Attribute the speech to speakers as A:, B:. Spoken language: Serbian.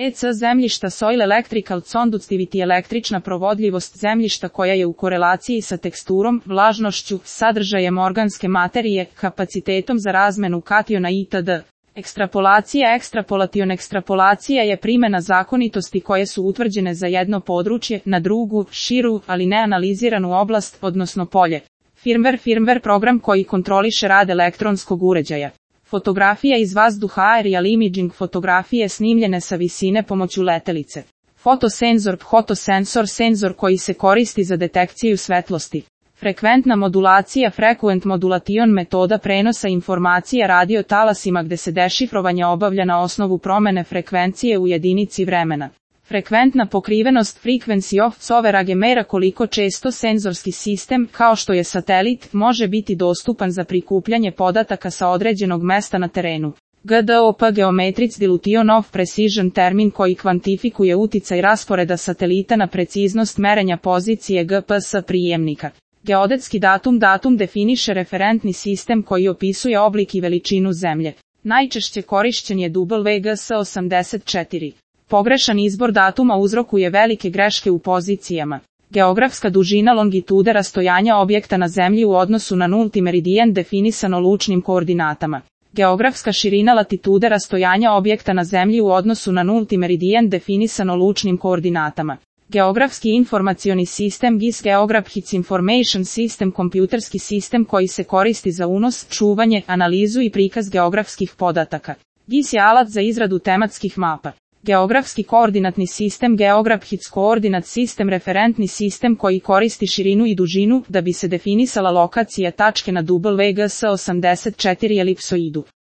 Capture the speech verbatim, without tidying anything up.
A: E C zemljišta Soil Electrical Conductivity električna provodljivost zemljišta koja je u korelaciji sa teksturom, vlažnošću, sadržajem organske materije, kapacitetom za razmenu kationa itd. Ekstrapolacija Ekstrapolation ekstrapolacija je primjena zakonitosti koje su utvrđene za jedno područje na drugu, širu, ali neanaliziranu oblast, odnosno polje. Firmware Firmware program koji kontroliše rad elektronskog uređaja. Fotografija iz vazduha Aerial imaging fotografije snimljene sa visine pomoću letelice. Fotosenzor Fotosensor senzor koji se koristi za detekciju svetlosti. Frekventna modulacija Frequent modulation metoda prenosa informacija radio talasima gde se dešifrovanje obavlja na osnovu promene frekvencije u jedinici vremena. Frekventna pokrivenost Frequency of coverage mera koliko često senzorski sistem, kao što je satelit, može biti dostupan za prikupljanje podataka sa određenog mesta na terenu. G D O P Geometric Dilution of Precision termin koji kvantifikuje uticaj rasporeda satelita na preciznost merenja pozicije G P S prijemnika. Geodetski datum datum definiše referentni sistem koji opisuje oblik i veličinu zemlje. Najčešće korišćen je W G S osamdeset četiri. Pogrešan izbor datuma uzrokuje velike greške u pozicijama. Geografska dužina longitude rastojanja objekta na zemlji u odnosu na nulti meridijan definisano lučnim koordinatama. Geografska širina latitude rastojanja objekta na zemlji u odnosu na nulti meridijan definisano lučnim koordinatama. Geografski informacioni sistem G I S Geographic Information System kompjuterski sistem koji se koristi za unos, čuvanje, analizu i prikaz geografskih podataka. G I S je alat za izradu tematskih mapa. Geografski koordinatni sistem Geographic Coordinate System referentni sistem koji koristi širinu i dužinu da bi se definisala lokacija tačke na W G S osamdeset četiri elipsoidu.